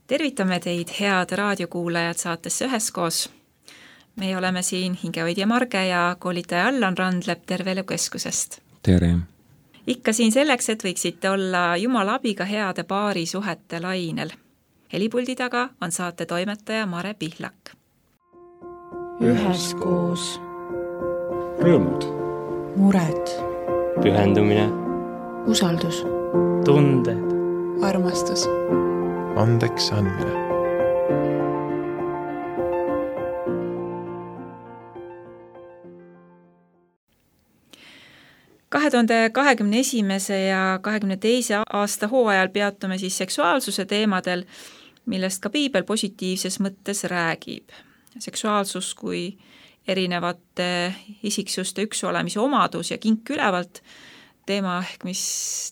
Tervitame teid, head raadiokuulajad saatesse Üheskoos. Me oleme siin hingehoidja Marge ja koolitaja Allan Randlep Terveelukeskusest. Tere! Ikka siin selleks, et võiksite olla Jumala abiga heade paari suhete lainel. Helipuldi taga on saate toimetaja Mare Pihlak. Üheskoos. Rõõmud. Mured. Pühendumine. Usaldus. Tunded. Armastus. Andeks andmine. ...2021. ja 2022. aasta hooajal peatume siis seksuaalsuse teemadel, millest ka Piibel positiivses mõttes räägib. Seksuaalsus kui erinevate isiksuste üksolemise omadus ja kink ülevalt teema ehk mis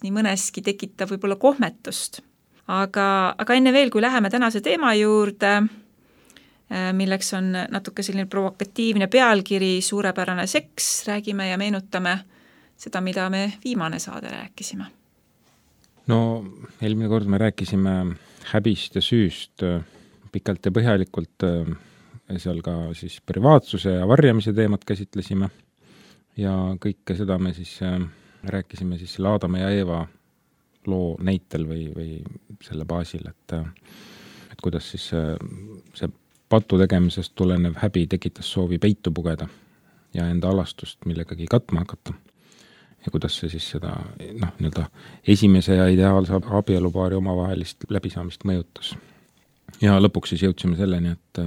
nii mõneski tekitab võib-olla kohmetust. Aga enne veel, kui läheme tänase teema juurde, milleks on natuke selline provokatiivne pealkiri Suurepärane seks, räägime ja meenutame seda, mida me viimane saade rääkisime. No, eelmine kord me rääkisime häbist ja süüst pikalt ja põhjalikult, seal ka siis privaatsuse ja varjamise teemat käsitlesime ja kõike seda me siis rääkisime siis selle Aadama ja Eeva loo näitel või selle baasil, et kuidas siis see patu tegemisest tulenev häbi tekitas soovi peitu pugeda ja enda alastust millegagi katma hakata. Ja kuidas see siis seda esimese ja ideaalse abielupaari omavahelist läbisaamist mõjutas. Ja lõpuks siis jõudsime selleni, et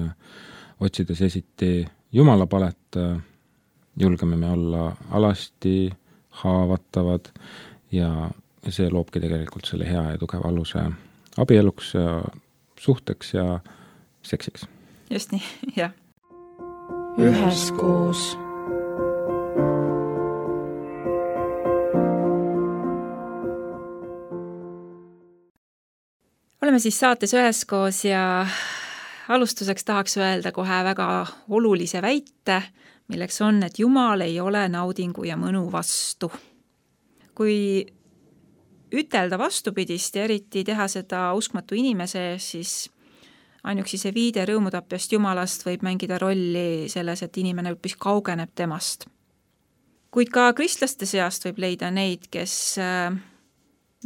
otsides esiti Jumala palet, julgeme me olla alasti, haavatavad ja see loobki tegelikult selle hea ja tugeva aluse abieluks ja suhteks ja seksiks. Just nii, jah. Üheskoos. Oleme siis saates Üheskoos ja alustuseks tahaks öelda kohe väga olulise väite, milleks on, et Jumal ei ole naudingu ja mõnu vastu. Kui ütelda vastupidist ja eriti teha seda uskmatu inimese, siis ainuüksi see viide rõõmutapjast Jumalast võib mängida rolli selles, et inimene hoopis kaugeneb temast. Kuid ka kristlaste seast võib leida neid, kes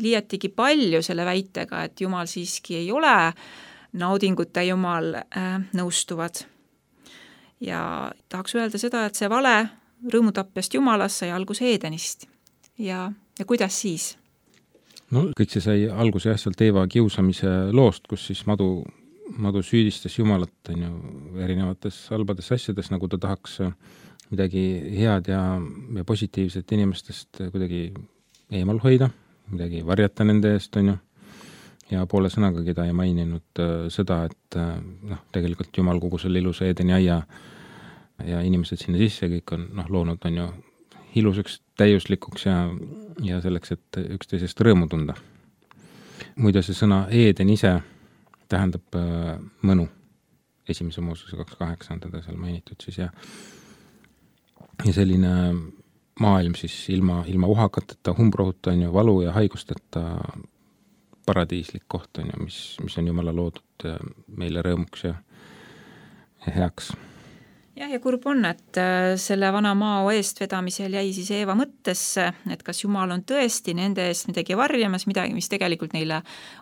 liiatigi palju selle väitega, et Jumal siiski ei ole naudinguta Jumal nõustuvad. Ja tahaks öelda seda, et see vale rõõmutapjast Jumalast sai alguse Eedenist. Ja kuidas siis? No, kõik see sai alguse sealt Eeva kiusamise loost, kus siis madu süüdistas Jumalat erinevates halbades asjades, nagu ta tahaks midagi head ja positiivset inimestest kuidagi eemal hoida, midagi varjata nende eest, ja poole sõnagagi ta ei maininud seda, et tegelikult Jumal kogu selle ilusa Eedeni aia ja inimesed sinna sisse kõik on loonud ilusaks, täiuslikuks ja selleks, et üksteisest rõõmu tunda. Muide, see sõna Eeden ise tähendab mõnu. Esimese Moosese 2.8 on teda seal mainitud siis ja selline maailm siis ilma uhakateta, humbrohuta valu ja haigusteta paradiislik koht mis on Jumala loodud meile rõõmuks ja heaks. Ja kurb on, et selle vana mao eestvedamisel jäi siis Eeva mõttesse, et kas Jumal on tõesti nende eest midagi varjamas, midagi, mis tegelikult neile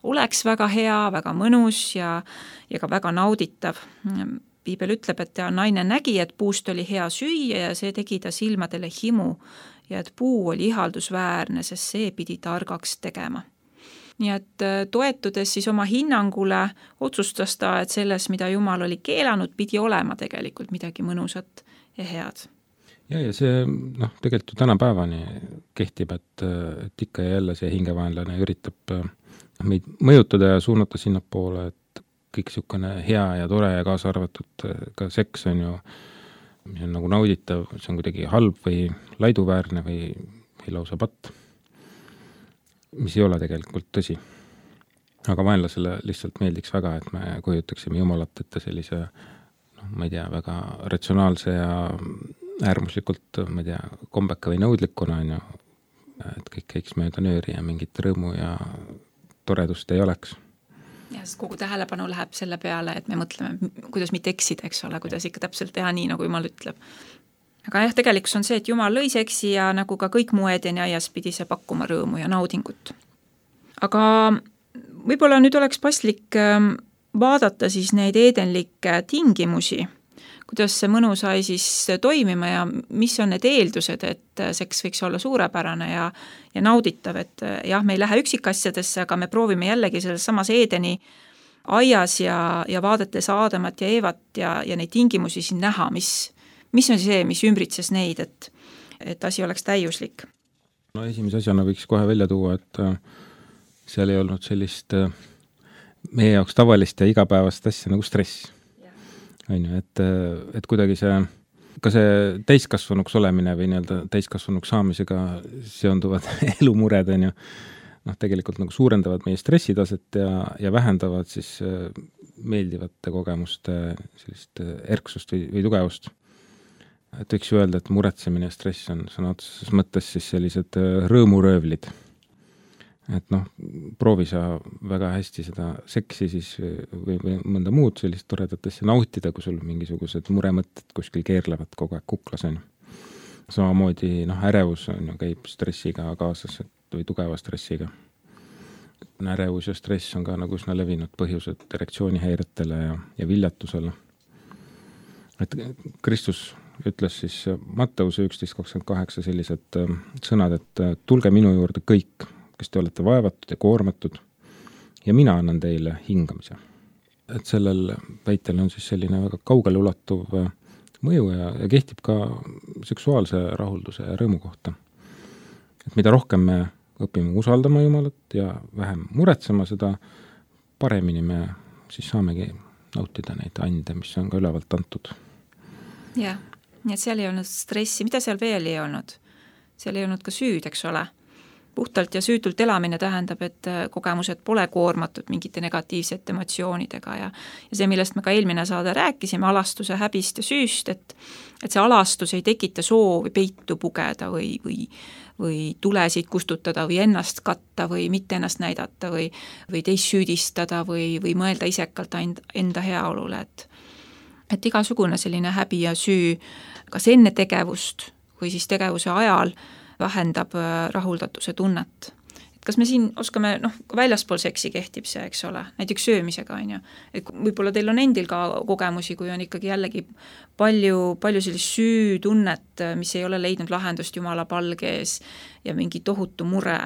oleks väga hea, väga mõnus ja ka väga nauditav. Piibel ütleb, et naine nägi, et puust oli hea süüa ja see tegi ta silmadele himu ja et puu oli ihaldusväärne, sest see pidi targaks tegema. Nii et toetudes siis oma hinnangule otsustas ta, et selles, mida Jumal oli keelanud, pidi olema tegelikult midagi mõnusat ja head. Ja see tegelikult ju tänapäevani kehtib, et ikka ja jälle see hingevaenlane üritab meid mõjutada ja suunata sinnapoole, et kõik niisugune hea ja tore ja kaasa arvatud ka seks on ju, mis on nagu nauditav, see on kuidagi halb või laiduväärne või lausa patt. Mis ei ole tegelikult tõsi. Aga vaenlasele lihtsalt meeldiks väga, et me kujutaksime Jumalat ette sellise, ma ei tea, väga ratsionaalse ja äärmuslikult, ma ei tea, kombeka või nõudlikuna, et kõik käiks mööda nööri ja mingit rõõmu ja toredust ei oleks. Ja Ja sest kogu tähelepanu läheb selle peale, et me mõtleme, kuidas mitte eksida, eks ole, kuidas ikka täpselt teha nii, nagu Jumal ütleb. Aga jah, tegelikult on see, et Jumal lõi seksi ja nagu ka kõik muu Edeni aias pidi see pakkuma rõõmu ja naudingut. Aga võib-olla nüüd oleks paslik vaadata siis neid edenlikke tingimusi, kuidas see mõnu sai siis toimima ja mis on need eeldused, et seks võiks olla suurepärane ja nauditav, et jah, me ei lähe üksikasjadesse, aga me proovime jällegi selles samas Edeni aias ja vaadates Aadamat ja Eevat ja neid tingimusi siin näha, mis on see, mis ümbritses neid, et asi oleks täiuslik. No esimese asjana võiks kohe välja tuua, et seal ei olnud sellist meie jaoks tavalist ja igapäevast asja nagu stress. On ju, et kuidagi ka see täiskasvanuks olemine või nii-öelda täiskasvanuks saamisega seonduvad elumured, on ju, tegelikult nagu suurendavad meie stressitaset ja vähendavad siis meeldivate kogemuste sellist erksust või tugevust. Et võiks ju öelda, et muretsemine ja stress on sõna otseses mõttes siis sellised rõõmuröövlid. Et proovi sa väga hästi seda seksi siis või mõnda muud sellist toredatesse nautida, kui sul mingisugused muremõtted kuskil keerlevad kogu aeg kuklas on. Samamoodi ärevus on ju käib stressiga kaasas või tugeva stressiga. Ärevus ja stress on ka nagu üsna levinud põhjused erektsioonihäiretele ja viljatusele. Et Kristus ütles siis Matteuse 11.28 sellised sõnad, et tulge minu juurde kõik, kes te olete vaevatud ja koormatud ja mina annan teile hingamise. Et sellel väitel on siis selline väga kaugele ulatuv mõju ja kehtib ka seksuaalse rahulduse ja rõõmu kohta. Et mida rohkem me õpime usaldama Jumalat ja vähem muretsema, seda paremini me siis saamegi nautida neid ande, mis on ka ülevalt antud. Jah, nii et seal ei olnud stressi, mida seal veel ei olnud? Seal ei olnud ka süüd, eks ole? Puhtalt ja süütult elamine tähendab, et kogemused pole koormatud mingite negatiivsete emotsioonidega ja see, millest me ka eelmine saade rääkisime, alastuse häbist ja süüst, et see alastus ei tekita soovi peitu pugeda või tulesid kustutada või ennast katta või mitte ennast näidata või teist süüdistada või mõelda isekalt enda heaolule, et igasugune selline häbi ja süü kas enne tegevust või siis tegevuse ajal vähendab rahuldatuse tunnet. Et kas me siin oskame, väljaspool seksi kehtib see, eks ole, näiteks söömisega, on ju. Et võib-olla teil on endil ka kogemusi, kui on ikkagi jällegi palju sellist süütunnet, mis ei ole leidnud lahendust Jumala palge ees ja mingi tohutu mure,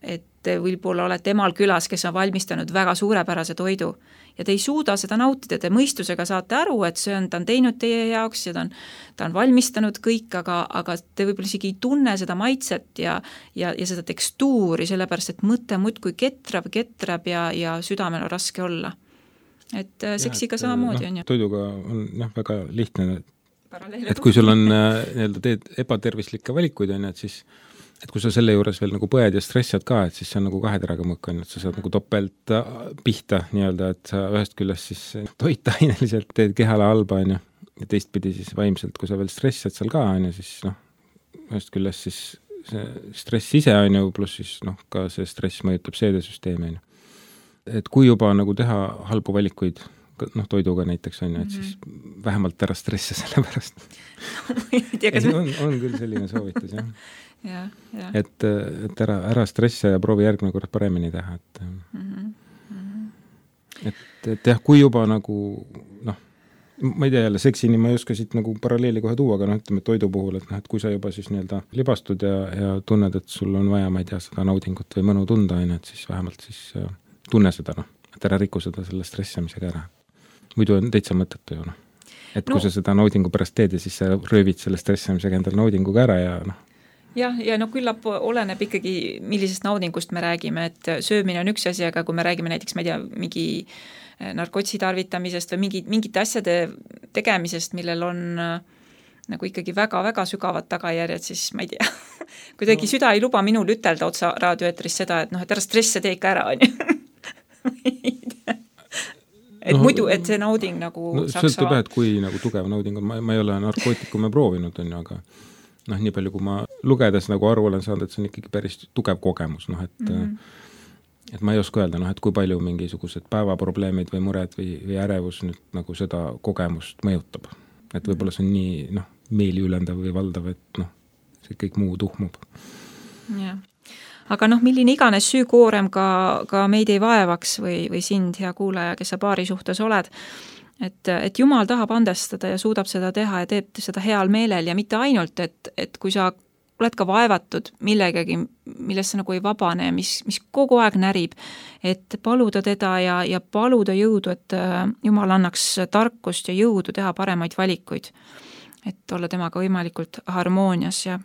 et võib-olla olete emal külas, kes on valmistanud väga suurepärase toidu ja te ei suuda seda nautida, te mõistusega saate aru, et ta on teinud teie jaoks ja ta on valmistanud kõik, aga te võib-olla isegi ei tunne seda maitset ja seda tekstuuri, sellepärast et mõte muudkui ketrab ja südamel on raske olla. Et seksiga samamoodi on ju. Toiduga on väga lihtne, et kui sul on teed ebatervislikke valikuid, on, et siis et kui sa selle juures veel nagu põed ja stressad ka, et siis see on nagu kaheteraga mõkk, on, et sa saad nagu topelt pihta nii-öelda, et sa ühest küljest siis toitaineliselt teed kehale halba, on ju, ja teistpidi siis vaimselt, kui sa veel stressad seal ka, on ju, siis ühest küljest siis see stress ise on ju, pluss siis ka see stress mõjutab seedesüsteemi, on ju. Et kui juba nagu teha halbu valikuid, toiduga näiteks on ju, et siis vähemalt ära stressa selle pärast. On küll selline soovitus, jah. Ja. Et ära stressa ja proovi järgmine kord paremini teha, et jah, kui juba nagu ma ei tea jälle, seksini ma ei oska siit nagu paralleeli kohe tuua, aga ütleme toidu puhul, et kui sa juba siis nii-öelda libastud ja tunned, et sul on vaja, ma ei tea, seda naudingut või mõnu tunda, et siis vähemalt siis tunne seda, et ära riku seda selle stressamisega ära. Muidu on täitsa mõttetu ju, et kui sa seda naudingu pärast teed ja siis sa röövid selle stressamisega endal naudinguga ära ja Ja küllap oleneb ikkagi, millisest naudingust me räägime, et söömine on üks asi, aga kui me räägime näiteks, ma ei tea, mingi narkotsi tarvitamisest või mingite asjade tegemisest, millel on nagu ikkagi väga-väga sügavad tagajärjed, siis ma ei tea, kuidagi süda ei luba minul ütelda otsa raadioeetris seda, et et ära stresse tee ikka ära, on ju. Et muidu, et see nauding nagu saaks sõltub et kui nagu tugev nauding on, ma ei ole narkootikume proovinud, on ju, aga nii palju, kui ma lugedes nagu aru olen saanud, et see on ikkagi päris tugev kogemus, et et ma ei oska öelda, et kui palju mingisugused päevaprobleemid või mured või ärevus nüüd nagu seda kogemust mõjutab. Et võib-olla see on nii meeliülendav või valdav, et see kõik muu tuhmub. Jah. Aga milline iganes süükoorem ka meid ei vaevaks või sind, hea kuulaja, kes sa paari suhtes oled, et Jumal tahab andestada ja suudab seda teha ja teeb seda heal meelel ja mitte ainult, et kui sa oled ka vaevatud millegagi, millest sa nagu ei vabane, mis kogu aeg närib, et paluda teda ja paluda jõudu, et Jumal annaks tarkust ja jõudu teha paremaid valikuid, et olla temaga võimalikult harmoonias ja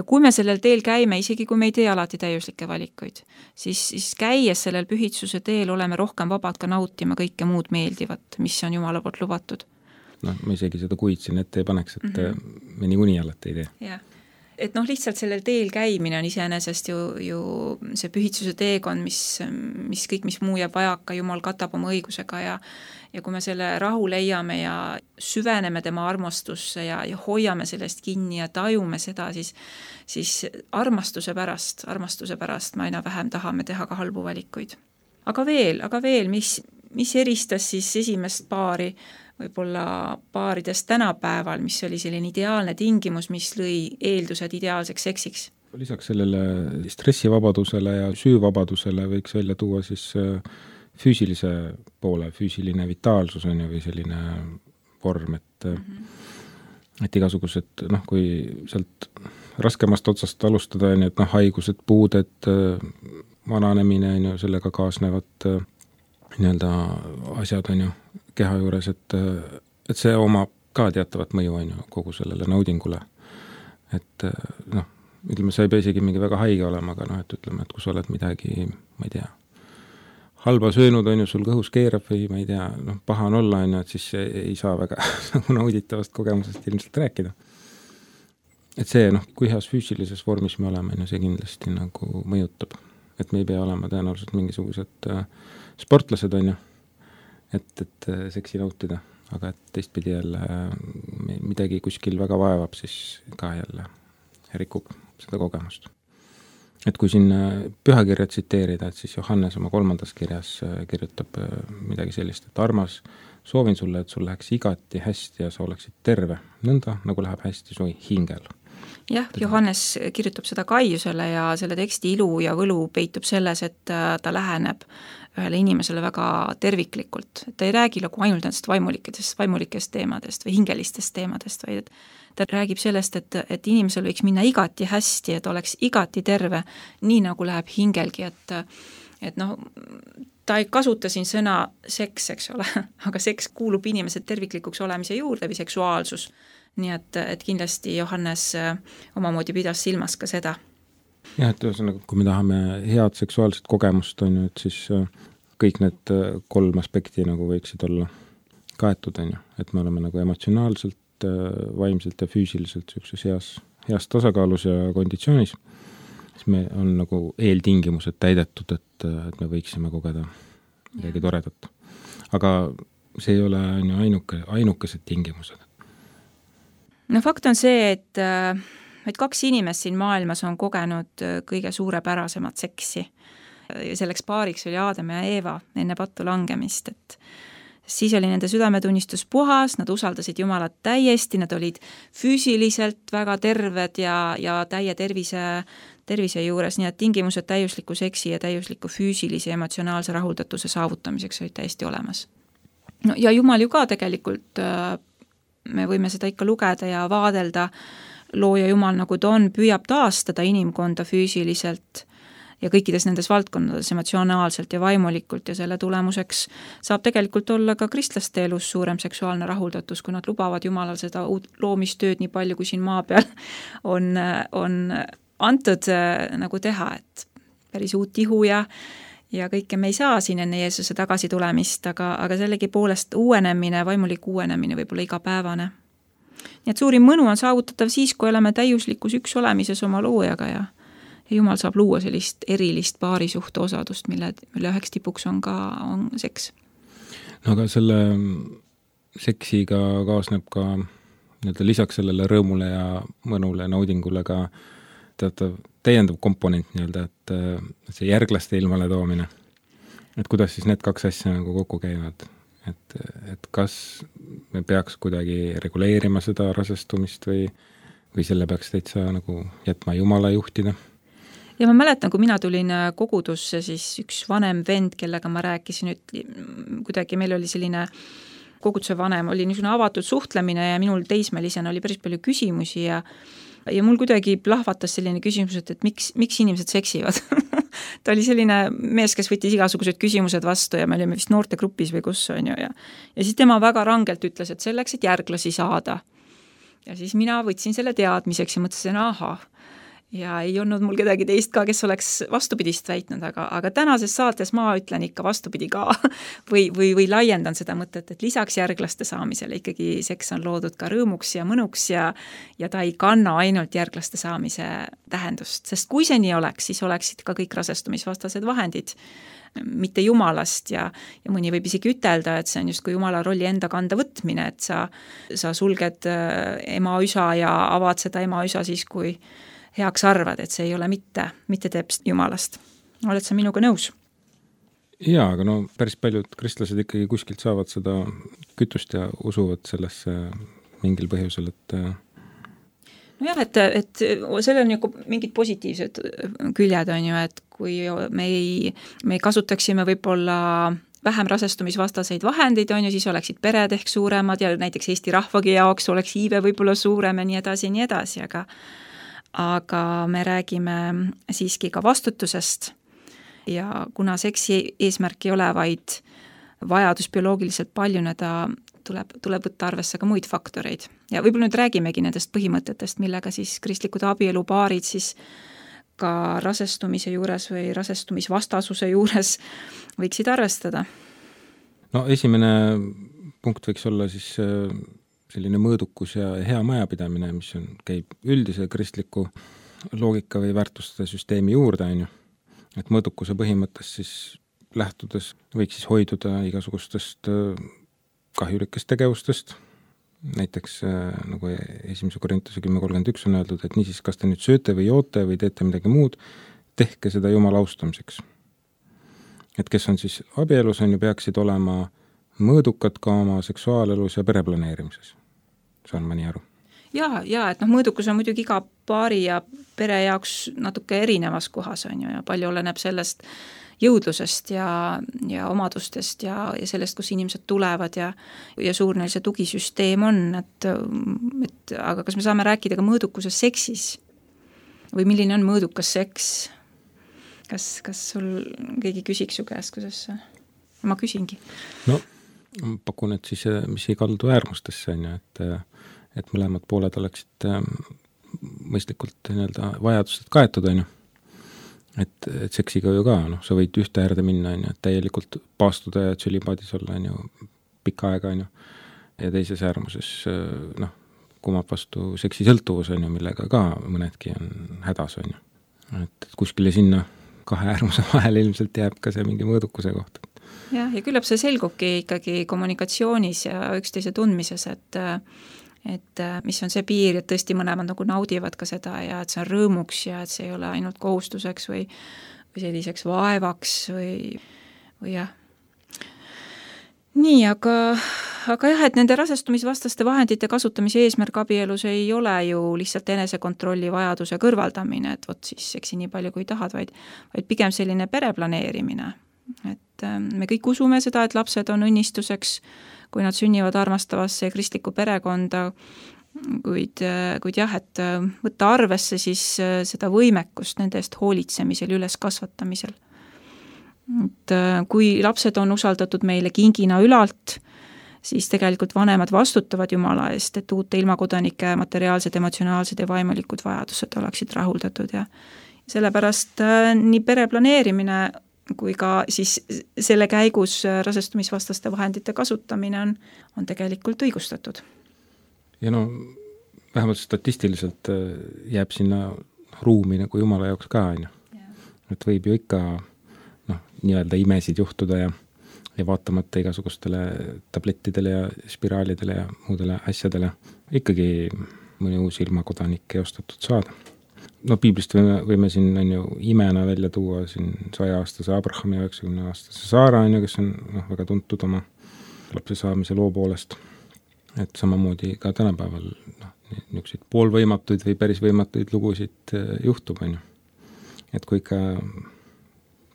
kui me sellel teel käime, isegi kui me ei tee alati täiuslikke valikuid, siis käies sellel pühitsuse teel oleme rohkem vabad ka nautima kõike muud meeldivat, mis on Jumala poolt lubatud. Ma isegi seda kuid siin ette ei paneks, et me niikuinii alati ei tee. Jah. Et lihtsalt sellel teel käimine on iseenesest ju see pühitsuse teekond, mis kõik, mis muu jääb vajaka, Jumal katab oma õigusega ja kui me selle rahu leiame ja süveneme tema armastusse ja hoiame sellest kinni ja tajume seda, siis armastuse pärast me aina vähem tahame teha ka halbu valikuid. Aga veel, mis eristas siis esimest paari võib-olla paaridest tänapäeval, mis oli selline ideaalne tingimus, mis lõi eeldused ideaalseks seksiks? Lisaks sellele stressivabadusele ja süüvabadusele võiks välja tuua siis füüsilise poole, füüsiline vitaalsus on ju või selline vorm, et igasugused, kui sealt raskemast otsast alustada, et haigused, puuded, vananemine on ju, sellega kaasnevad asjad on ju keha juures, et see omab ka teatavat mõju on ju kogu sellele naudingule. Et ütleme, sa ei pea isegi mingi väga haige olema, aga et ütleme, et kui sa oled midagi, ma ei tea, halba söönud on ju, sul kõhus keerab või ma ei tea, paha on olla on ju, et siis ei saa väga nauditavast kogemusest ilmselt rääkida. Et see, kui heas füüsilises vormis me oleme, see kindlasti nagu mõjutab. Et me ei pea olema tõenäoliselt mingisugused sportlased on ju, et seksi nautida, aga et teistpidi jälle midagi kuskil väga vaevab, siis ka jälle rikub seda kogemust. Et kui siin pühakirja tsiteerida, et siis Johannes oma 3. kirjas kirjutab midagi sellist, et armas, soovin sulle, et sul läheks igati hästi ja sa oleksid terve, nõnda nagu läheb hästi su hingel. Jah, Johannes kirjutab seda Kaiusele ja selle teksti ilu ja võlu peitub selles, et ta läheneb ühele inimesele väga terviklikult. Ta ei räägi nagu ainult nendest vaimulikest teemadest või hingelistest teemadest, vaid ta räägib sellest, et inimesel võiks minna igati hästi, et oleks igati terve, nii nagu läheb hingelgi, et ta ei kasuta siin sõna seks, eks ole, aga seks kuulub inimese terviklikuks olemise juurde või seksuaalsus. Nii et kindlasti Johannes omamoodi pidas silmas ka seda. Jah, et ühesõnaga, kui me tahame head seksuaalset kogemust, on ju, et siis kõik need 3 aspekti nagu võiksid olla kaetud, on ju, et me oleme nagu emotsionaalselt, vaimselt ja füüsiliselt heas tasakaalus ja konditsioonis, siis me on nagu eeltingimused täidetud, et me võiksime kogeda midagi toredat. Aga see ei ole ainukesed tingimused. Fakt on see, et 2 inimest siin maailmas on kogenud kõige suurepärasemat seksi. Ja selleks paariks oli Aadam ja Eeva enne pattu langemist, et siis oli nende südametunnistus puhas, nad usaldasid Jumalat täiesti, nad olid füüsiliselt väga terved ja täie tervise juures, nii et tingimused täiusliku seksi ja täiusliku füüsilise ja emotsionaalse rahuldatuse saavutamiseks olid täiesti olemas. Ja Jumal ju ka tegelikult me võime seda ikka lugeda ja vaadelda, looja Jumal nagu ta on, püüab taastada inimkonda füüsiliselt ja kõikides nendes valdkondades emotsionaalselt ja vaimulikult ja selle tulemuseks saab tegelikult olla ka kristlaste elus suurem seksuaalne rahuldatus, kui nad lubavad Jumalal seda loomistööd nii palju, kui siin maa peal on antud nagu teha, et päris uut ihu ja kõike me ei saa siin enne Jeesuse tagasi tulemist, aga sellegi poolest uuenemine, vaimulik uuenemine võib olla igapäevane. Nii et suurim mõnu on saavutatav siis, kui oleme täiuslikus üks olemises oma loojaga ja Jumal saab luua sellist erilist paarisuhte osadust, mille üheks tipuks on seks. No aga selle seksiga kaasneb ka lisaks sellele rõõmule ja mõnule naudingule ka teatav täiendav komponent nii-öelda, et see järglaste ilmale toomine, et kuidas siis need kaks asja nagu kokku käivad, et kas me peaks kuidagi reguleerima seda rasestumist või selle peaks täitsa nagu jätma Jumala juhtida? Ja ma mäletan, kui mina tulin kogudusse, siis üks vanem vend, kellega ma rääkisin, kuidagi meil oli selline koguduse vanem, oli niisugune avatud suhtlemine ja minul teismelisena oli päris palju küsimusi ja mul kuidagi plahvatas selline küsimus, et miks inimesed seksivad. Ta oli selline mees, kes võttis igasugused küsimused vastu ja me olime vist noortegrupis või kus on ju ja siis tema väga rangelt ütles, et selleks, et järglasi saada. Ja siis mina võtsin selle teadmiseks ja mõtlesin, ahah, ja ei olnud mul kedagi teist ka, kes oleks vastupidist väitnud, aga tänases saates ma ütlen ikka vastupidi ka või laiendan seda mõtet, et lisaks järglaste saamisele ikkagi seks on loodud ka rõõmuks ja mõnuks ja ta ei kanna ainult järglaste saamise tähendust, sest kui see nii oleks, siis oleksid ka kõik rasestumisvastased vahendid mitte Jumalast ja mõni võib isegi ütelda, et see on just kui Jumala rolli enda kanda võtmine, et sa sulged ema üsa ja avad seda ema üsa siis, kui heaks arvad, et see ei ole mitte teps Jumalast. Oled sa minuga nõus? Jaa, aga no päris paljud kristlased ikkagi kuskilt saavad seda kütust ja usuvad sellesse mingil põhjusel, et nojah, et sellel on ju mingid positiivsed küljed on ju, et kui me kasutaksime võib-olla vähem rasestumisvastaseid vahendeid on ju, siis oleksid pered ehk suuremad ja näiteks Eesti rahvagi jaoks oleks iive võib-olla suurem ja nii edasi, aga me räägime siiski ka vastutusest ja kuna seksi eesmärk ei ole vaid vajadus bioloogiliselt paljuneda, tuleb võtta arvesse ka muid faktoreid. Ja võib-olla nüüd räägimegi nendest põhimõtetest, millega siis kristlikud abielupaarid siis ka rasestumise juures või rasestumisvastasuse juures võiksid arvestada. No esimene punkt võiks olla siis selline mõõdukus ja hea majapidamine, mis käib üldise kristliku loogika või väärtuste süsteemi juurde, on ju. Et mõõdukuse põhimõttest siis lähtudes võiks siis hoiduda igasugustest kahjulikest tegevustest. Näiteks nagu 1. Korintuse 10.31 on öeldud, et niisiis, kas te nüüd sööte või joote või teete midagi muud, tehke seda Jumala austamiseks. Et kes on siis abielus, on ju, peaksid olema mõõdukad ka oma seksuaalelus ja pereplaneerimises. Saan ma nii aru? Ja, et mõõdukus on muidugi iga paari ja pere jaoks natuke erinevas kohas on ju ja palju oleneb sellest jõudlusest ja omadustest ja sellest, kus inimesed tulevad ja suur neil see tugisüsteem on, et aga kas me saame rääkida ka mõõdukuses seksis või milline on mõõdukas seks? Kas sul keegi küsiks su käest, kuidas ma küsingi? No, pakun, et siis mis ei kaldu äärmustesse on ju, et mõlemad pooled oleksid mõistlikult nii-öelda vajadused kaetud on ju. Et seksiga ju ka, sa võid ühte äärde minna on ju, et täielikult paastuda ja tsülipaadis olla on ju pikka aega on ju. Ja teises äärmuses kumab vastu seksisõltuvus on ju, millega ka mõnedki on hädas on ju. Et kuskile sinna kahe äärmuse vahel ilmselt jääb ka see mingi mõõdukuse koht. Ja küllap see selgubki ikkagi kommunikatsioonis ja üksteise tundmises, et mis on see piir, et tõesti mõlemad nagu naudivad ka seda ja et see on rõõmuks ja et see ei ole ainult kohustuseks või selliseks vaevaks või jah. Nii, aga jah, et nende rasestumisvastaste vahendite kasutamise eesmärk abielus ei ole ju lihtsalt enesekontrolli vajaduse kõrvaldamine, et vot siis seksi nii palju kui tahad, vaid pigem selline pereplaneerimine. Et me kõik usume seda, et lapsed on õnnistuseks, kui nad sünnivad armastavasse kristlikku perekonda, kuid jah, et võtta arvesse siis seda võimekust nende eest hoolitsemisel, üles kasvatamisel. Et kui lapsed on usaldatud meile kingina ülalt, siis tegelikult vanemad vastutavad Jumala eest, et uute ilmakodanike materiaalsed, emotsionaalsed ja vaimulikud vajadused oleksid rahuldatud ja sellepärast nii pereplaneerimine kui ka siis selle käigus rasestumisvastaste vahendite kasutamine on tegelikult õigustatud. Ja vähemalt statistiliselt jääb sinna ruumi nagu Jumala jaoks ka, et võib ju ikka nii-öelda imesid juhtuda ja vaatamata igasugustele tablettidele ja spiraalidele ja muudele asjadele ikkagi mõni uus ilmakodanik eostatud saada. no piiblist võime siin on ju imena välja tuua siin 100-aastase Abrahami ja 90-aastase Saara on ju, kes on väga tuntud oma lapse saamise loo poolest. Et samamoodi ka tänapäeval niisuguseid poolvõimatuid või päris võimatuid lugusid juhtub, on ju. Et kui ikka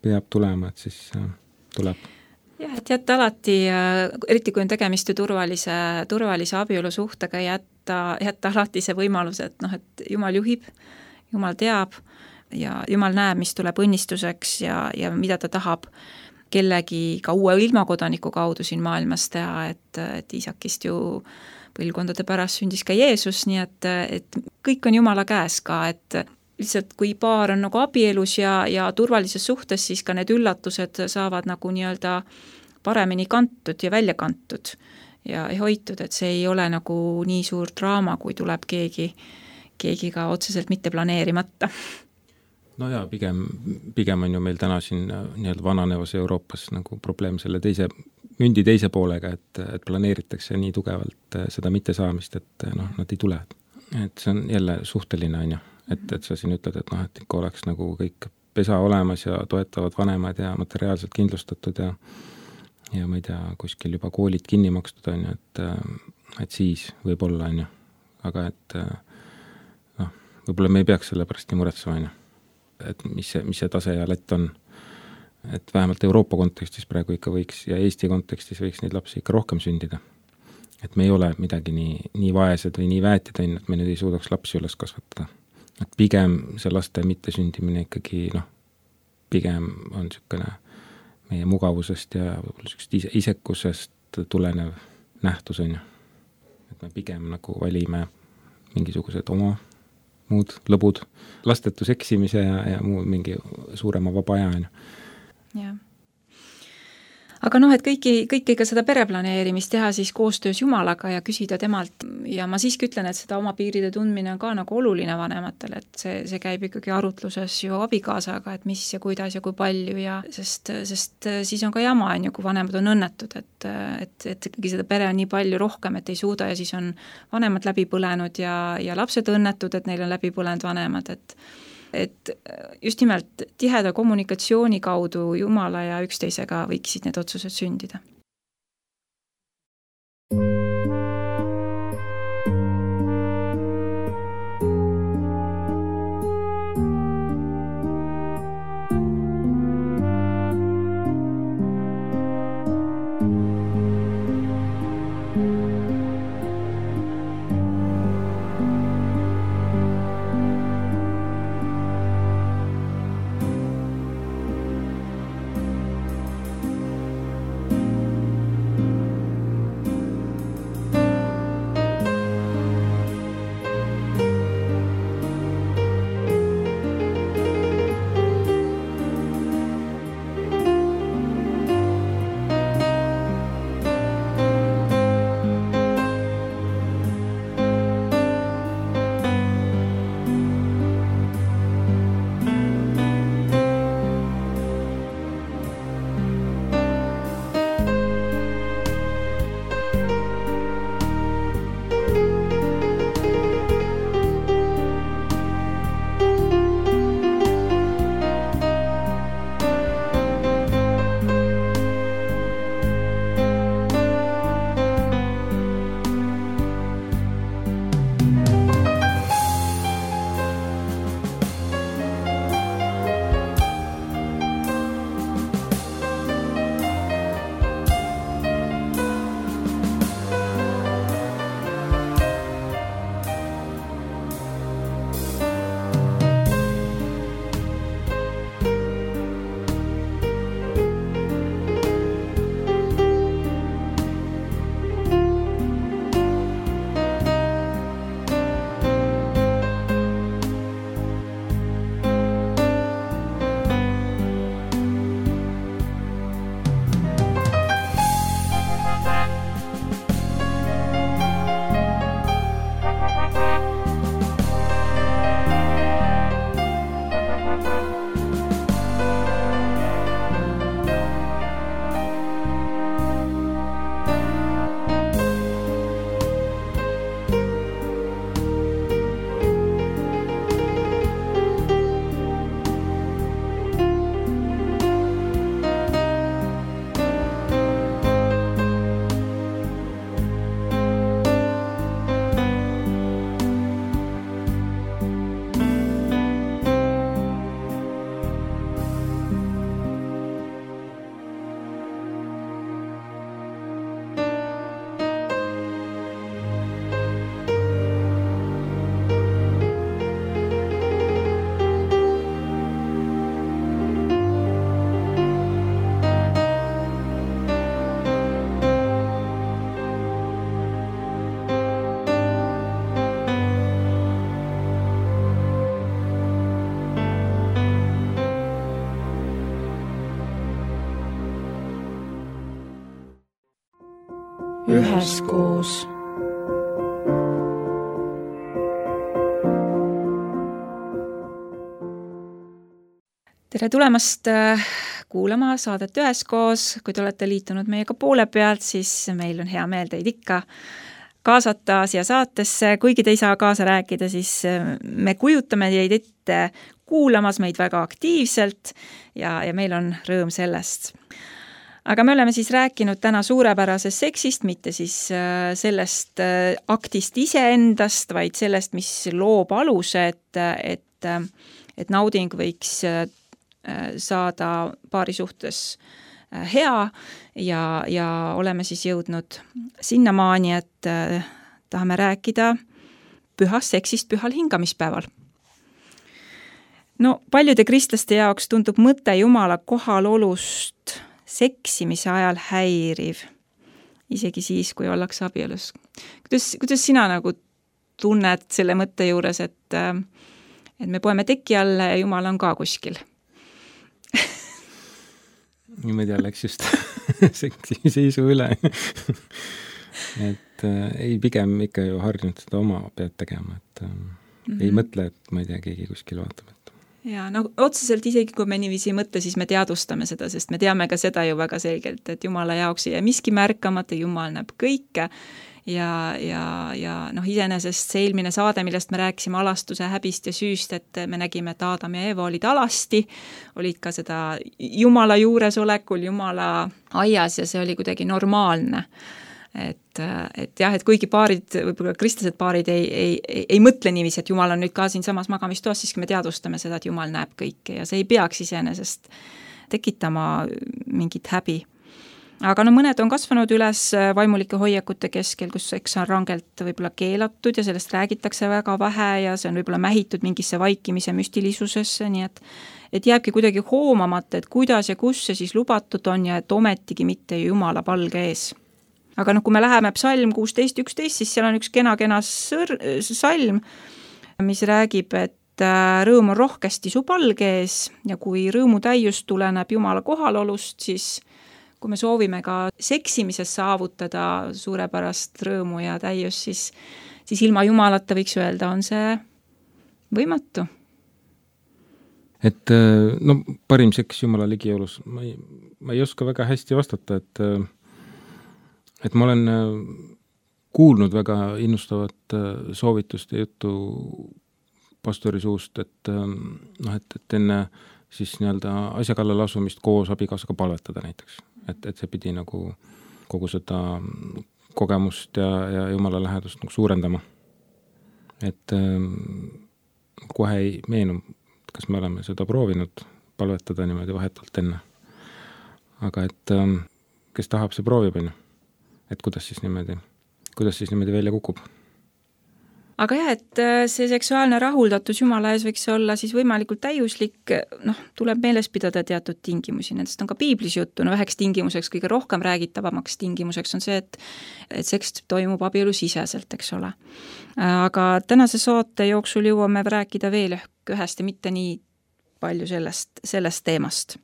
peab tulema, et siis tuleb. Jah, et jätta alati, eriti kui on tegemist ju turvalise abielusuhtega, jätta alati see võimalus, et Jumal juhib, Jumal teab ja Jumal näeb, mis tuleb õnnistuseks ja mida ta tahab kellegi ka uue ilmakodaniku kaudu siin maailmas teha, et Iisakist ju põlvkondade pärast sündis ka Jeesus, nii et kõik on Jumala käes ka, et lihtsalt kui paar on nagu abielus ja turvalises suhtes, siis ka need üllatused saavad nagu nii-öelda paremini kantud ja välja kantud ja hoitud, et see ei ole nagu nii suur draama, kui tuleb keegi ka otseselt mitte planeerimata. No jaa, pigem on ju meil täna siin nii-öelda vananevas Euroopas nagu probleem selle mündi teise poolega, et planeeritakse nii tugevalt seda mittesaamist, et nad ei tule. Et see on jälle suhteline, on ju. Et sa siin ütled, et ikka oleks nagu kõik pesa olemas ja toetavad vanemad ja materiaalselt kindlustatud ja ma ei tea, kuskil juba koolid kinni makstud, on ju, et siis võib olla, on ju. Aga et võib-olla me ei peaks selle pärast nii muretsema, on ju. Et mis see tase ja lätt on, et vähemalt Euroopa kontekstis praegu ikka võiks ja Eesti kontekstis võiks neid lapsi ikka rohkem sündida. Et me ei ole midagi nii vaesed või nii väetid, et me nüüd ei suudaks lapsi üles kasvatada. Et pigem see laste mittesündimine ikkagi, pigem on niisugune meie mugavusest ja isekusest tulenev nähtus, on ju. Et me pigem nagu valime mingisugused oma muud lõbud, lastetus eksimise ja muu mingi suurema vaba aja. Jah. Aga et kõiki ka seda pereplaneerimist teha siis koostöös Jumalaga ja küsida temalt ja ma siiski ütlen, et seda oma piiride tundmine on ka nagu oluline vanematel, et see käib ikkagi arutluses ju abikaasaga, et mis ja kuidas ja kui palju ja sest siis on ka jama, on ju, kui vanemad on õnnetud, et ikkagi seda pere on nii palju rohkem, et ei suuda ja siis on vanemad läbi põlenud ja lapsed õnnetud, et neil on läbi põlenud vanemad, et just nimelt tiheda kommunikatsiooni kaudu Jumala ja üksteisega võiksid need otsused sündida. üheskoos. Tere tulemast kuulama saadet üheskoos. Kui te olete liitunud meiega poole pealt, siis meil on hea meel teid ikka kaasata siia saatesse. Kuigi te ei saa kaasa rääkida, siis me kujutame teid ette kuulamas meid väga aktiivselt ja meil on rõõm sellest. Aga me oleme siis rääkinud täna suurepärasest seksist, mitte siis sellest aktist iseendast, vaid sellest, mis loob aluse, et nauding võiks saada paari suhtes hea ja oleme siis jõudnud sinnamaani, et tahame rääkida pühast seksist pühal hingamispäeval. No paljude kristlaste jaoks tundub mõte Jumala kohalolust seksimise ajal häiriv, isegi siis, kui ollakse abielus. Kuidas sina nagu tunned selle mõtte juures, et me poeme teki alla ja Jumal on ka kuskil? Niimoodi läks just seksimise üle. Et ei, pigem ikka ju harjunud seda oma pead tegema, et ei mõtle, et ma ei tea, keegi kuskil vaatab. Ja no otseselt isegi, kui me niiviisi ei mõtle, siis me teadvustame seda, sest me teame ka seda ju väga selgelt, et Jumala jaoks ei jää miski märkamata, Jumal näeb kõike ja iseenesest see eelmine saade, millest me rääkisime alastuse, häbist ja süüst, et me nägime, et Aadam ja Eeva olid alasti, olid ka seda Jumala juuresolekul, Jumala aias ja see oli kuidagi normaalne. Et jah, et kuigi paarid, võib-olla kristlased paarid ei mõtle niiviisi, et Jumal on nüüd ka siin samas magamistoas, siis me teadvustame seda, et Jumal näeb kõike ja see ei peaks iseenesest tekitama mingit häbi. Aga mõned on kasvanud üles vaimulike hoiakute keskel, kus seks on rangelt võib-olla keelatud ja sellest räägitakse väga vähe ja see on võib-olla mähitud mingisse vaikimise müstilisusesse, nii et jääbki kuidagi hoomamata, et kuidas ja kus see siis lubatud on ja et ometigi mitte Jumala palge ees. Aga kui me läheme psalm 16.11, siis seal on üks kena salm, mis räägib, et rõõm on rohkesti su palge ees ja kui rõõmu täius tuleneb Jumala kohalolust, siis kui me soovime ka seksimises saavutada suurepärast rõõmu ja täius, siis ilma Jumalata võiks öelda, on see võimatu. Et parim seks Jumala ligiolus, ma ei oska väga hästi vastata, et ma olen kuulnud väga innustavat soovitust ja juttu pastori suust, et enne siis nii-öelda asja kallal asumist koos abikaasaga palvetada näiteks. Et see pidi nagu kogu seda kogemust ja Jumala lähedust nagu suurendama. Et kohe ei meenu, kas me oleme seda proovinud palvetada niimoodi vahetult enne. Aga et kes tahab, see proovib, et kuidas siis niimoodi välja kukub. Aga jah, et see seksuaalne rahuldatus Jumala ees võiks olla siis võimalikult täiuslik, tuleb meeles pidada teatud tingimusi, nendest on ka piiblis juttu, üheks tingimuseks, kõige rohkem räägitavamaks tingimuseks on see, et seks toimub abielu siseselt, eks ole. Aga tänase saate jooksul jõuame rääkida veel ühest ja mitte nii palju sellest teemast.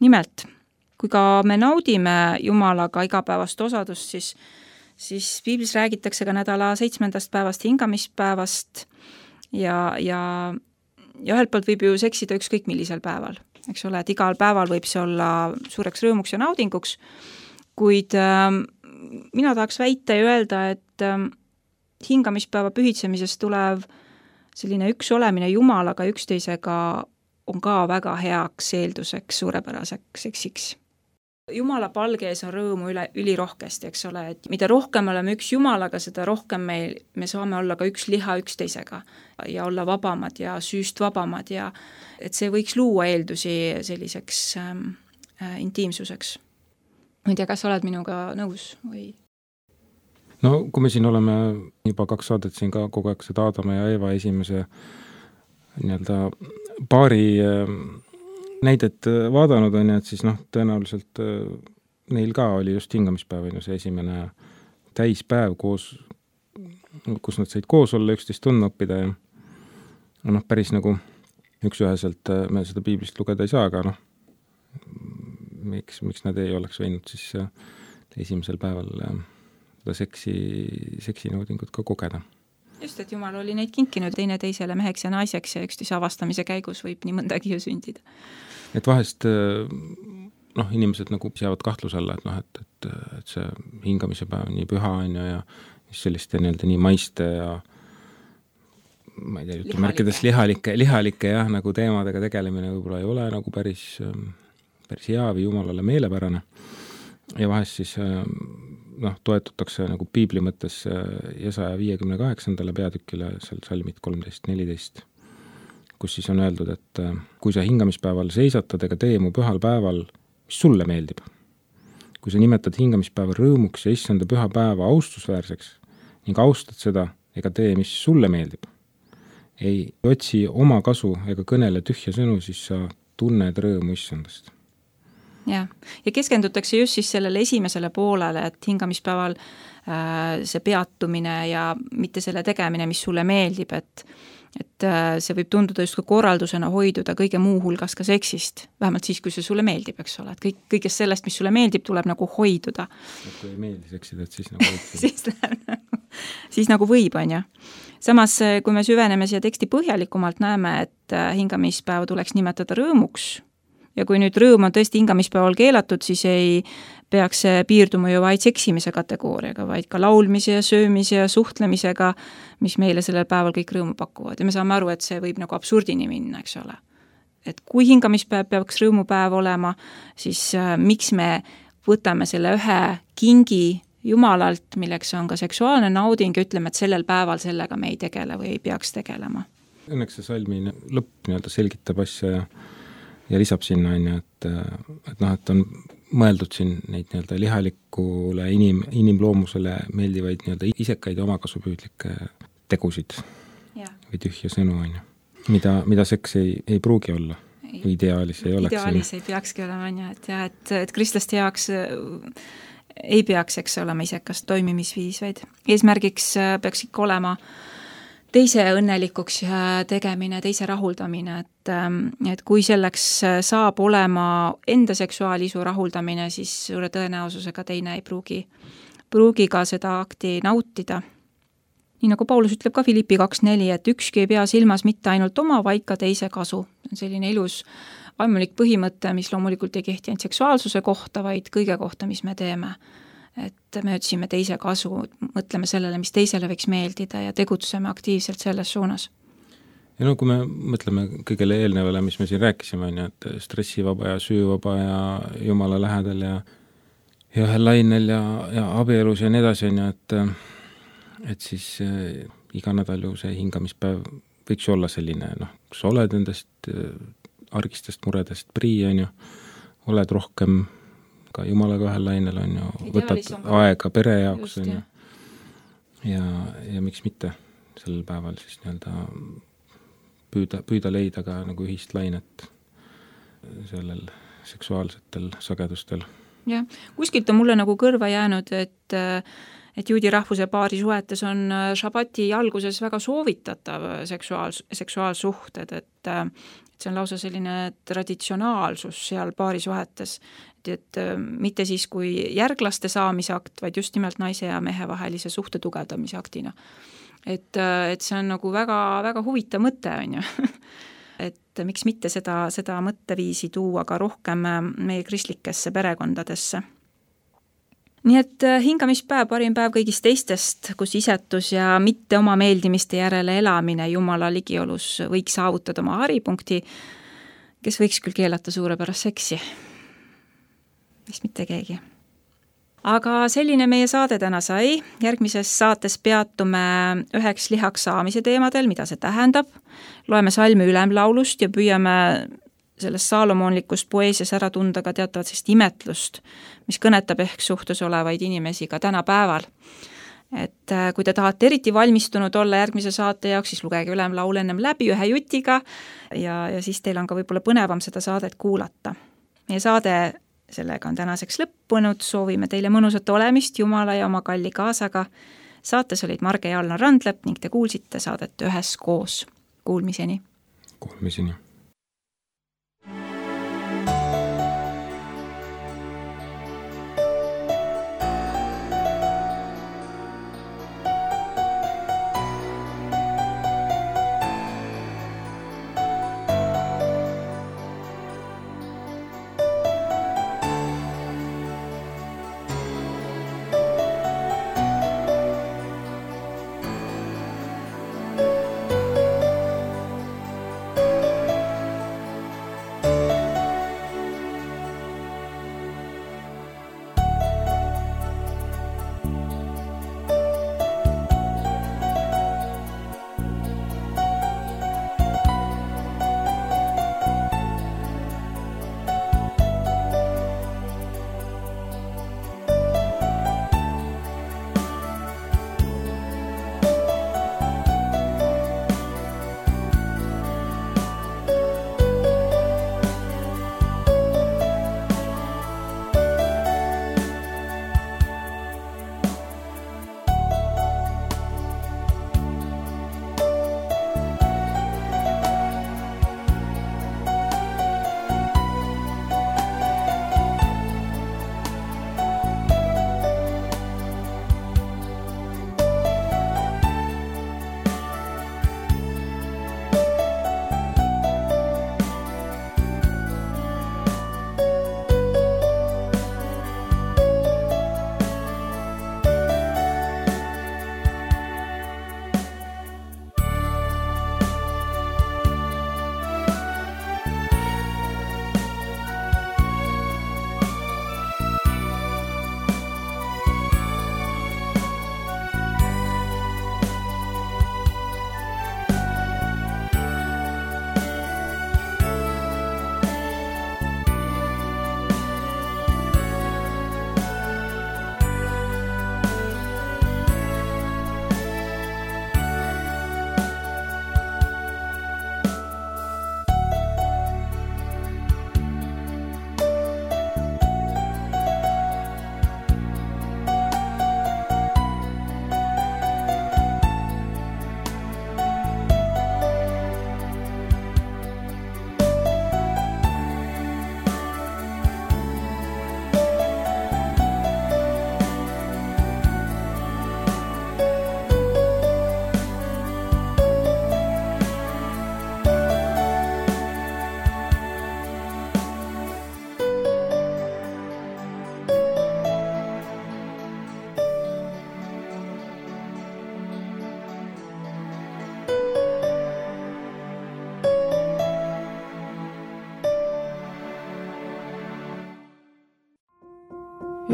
Nimelt, kui ka me naudime Jumalaga igapäevast osadust, siis piiblis räägitakse ka nädala 7. päevast hingamispäevast ja ühelt poolt võib ju seksida ükskõik millisel päeval, eks ole, et igal päeval võib see olla suureks rõõmuks ja naudinguks, kuid mina tahaks väita ja öelda, et hingamispäeva pühitsemisest tulev selline üks olemine Jumalaga üksteisega on ka väga heaks eelduseks suurepäraseks seksiks. Jumala palge ees on rõõmu ülirohkesti, eks ole, et mida rohkem oleme üks Jumalaga, seda rohkem me saame olla ka üks liha üksteisega ja olla vabamad ja süüst vabamad ja et see võiks luua eeldusi selliseks intiimsuseks. Ma ei tea, kas oled minuga nõus või? No kui me siin oleme juba 2 saadet siin ka kogu aeg seda Aadama ja Eeva esimese nii-öelda paari näidet vaadanud on, et siis tõenäoliselt neil ka oli just hingamispäev, see esimene täispäev koos, kus nad said koos olla, üksteist tundma õppida ja päris nagu üks-üheselt me seda piiblist lugeda ei saa, aga miks nad ei oleks võinud siis esimesel päeval seda seksinaudingut ka kogeda. Just, et Jumal oli neid kinkinud teisele meheks ja naiseks ja üksteise avastamise käigus võib nii mõndagi ju sündida. Et vahest inimesed nagu seavad kahtluse alla, et see hingamise päev nii püha on ja selliste nii maiste ja ma ei tea, jutumärkides lihalike jah, nagu teemadega tegelemine võib-olla ei ole nagu päris hea või Jumalale meelepärane. Ja vahest siis toetutakse nagu piibli mõttes Jesaja 58. peatükile, seal salmid 13-14, kus siis on öeldud, et kui sa hingamispäeval seisatad ega tee mu pühal päeval, mis sulle meeldib. Kui sa nimetad hingamispäeva rõõmuks ja issanda püha päeva austusväärseks ning austad seda ega tee, mis sulle meeldib. Ei otsi oma kasu ega kõnele tühja sõnu, siis sa tunned rõõmu issandast. Ja keskendutakse just siis sellele esimesele poolele, et hingamispäeval see peatumine ja mitte selle tegemine, mis sulle meeldib, et see võib tunduda just korraldusena hoiduda kõige muu hulgas ka seksist, vähemalt siis, kui see sulle meeldib, eks ole, et kõigest sellest, mis sulle meeldib, tuleb nagu hoiduda. Et kui ei meeldi seksida, et siis nagu võib. siis nagu võib, on ju. Samas, kui me süveneme siia teksti põhjalikumalt, näeme, et hingamispäeva tuleks nimetada rõõmuks ja kui nüüd rõõm on tõesti hingamispäeval keelatud, siis ei peaks see piirduma ju vaid seksimise kategooriaga, vaid ka laulmise ja söömise ja suhtlemisega, mis meile sellel päeval kõik rõõmu pakuvad. Ja me saame aru, et see võib nagu absurdini minna, eks ole. Et kui hingamispäev peaks rõõmupäev olema, siis miks me võtame selle ühe kingi Jumalalt, milleks on ka seksuaalne nauding ja ütleme, et sellel päeval sellega me ei tegele või ei peaks tegelema. Õnneks see salmi lõpp selgitab asja ja lisab sinna, et on mõeldud siin neid lihalikule inimloomusele meeldivaid isekaid ja omakasupüüdlikke tegusid või tühja sõnu, mida seks ei pruugi olla või ideaalis ei oleks. Ideaalis ei peakski olema, et kristlaste jaoks ei peaks, eks olema isekast toimimisviis, vaid eesmärgiks peaks ikka olema teise õnnelikuks tegemine, teise rahuldamine, et kui selleks saab olema enda seksuaalisu rahuldamine, siis suure tõenäosusega teine ei pruugi ka seda akti nautida. Nii nagu Paulus ütleb ka Filippi 2.4, et ükski ei pea silmas mitte ainult oma, vaid ka teise kasu. On selline ilus vaimulik põhimõte, mis loomulikult ei kehti ainult seksuaalsuse kohta, vaid kõige kohta, mis me teeme. Et me otsime teise kasu, mõtleme sellele, mis teisele võiks meeldida ja tegutseme aktiivselt selles suunas. Ja kui me mõtleme kõigele eelnevale, mis me siin rääkisime, et stressivaba ja süüvaba ja Jumala lähedal ja ühel lainel ja abielus ja nii edasi, et siis iga nädal ju see hingamispäev võiks olla selline, sa oled endast argistest muredest prii, oled rohkem ka Jumalaga ühel lainel, võtad aega pere jaoks, ja miks mitte sellel päeval siis püüda leida ka nagu ühist lainet sellel seksuaalsetel sagedustel. Ja, kuskilt on mulle nagu kõrva jäänud, et juudi rahvuse paari suhetes on šabati alguses väga soovitatav seksuaalsuhted, et see on lausa selline traditsionaalsus seal paari suhetes, et mitte siis kui järglaste saamise akt, vaid just nimelt naise ja mehe vahelise suhte tugevdamise aktina. Et see on nagu väga, väga huvitav mõte, on ju. Et miks mitte seda mõtteviisi tuua ka rohkem meie kristlikesse perekondadesse. Nii et hingamispäev, parim päev kõigist teistest, kus isetus ja mitte oma meeldimiste järele elamine Jumala ligiolus võiks saavutada oma haripunkti, kes võiks küll keelata suurepärast seksi. Vist mitte keegi. Aga selline meie saade täna sai. Järgmises saates peatume üheks lihaks saamise teemadel, mida see tähendab. Loeme salmi ülemlaulust ja püüame selles saalomoonlikust poeesias ära tunda ka teatavat sellist imetlust, mis kõnetab ehk suhtes olevaid inimesi ka tänapäeval. Et kui te tahate eriti valmistunud olla järgmise saate jaoks, siis lugege ülemlaul ennem läbi ühe jutiga ja siis teil on ka võib-olla põnevam seda saadet kuulata. Meie saade sellega on tänaseks lõppunud, soovime teile mõnusat olemist Jumala ja oma kalli kaasaga. Saates olid Marge ja Alna Randlep ning te kuulsite saadet üheskoos. Kuulmiseni! Kuulmiseni!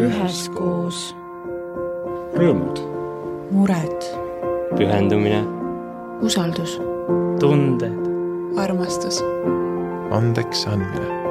üheskoos. Rõõmud. Mured. Pühendumine. Usaldus. Tunded. Armastus. Andeks andmine.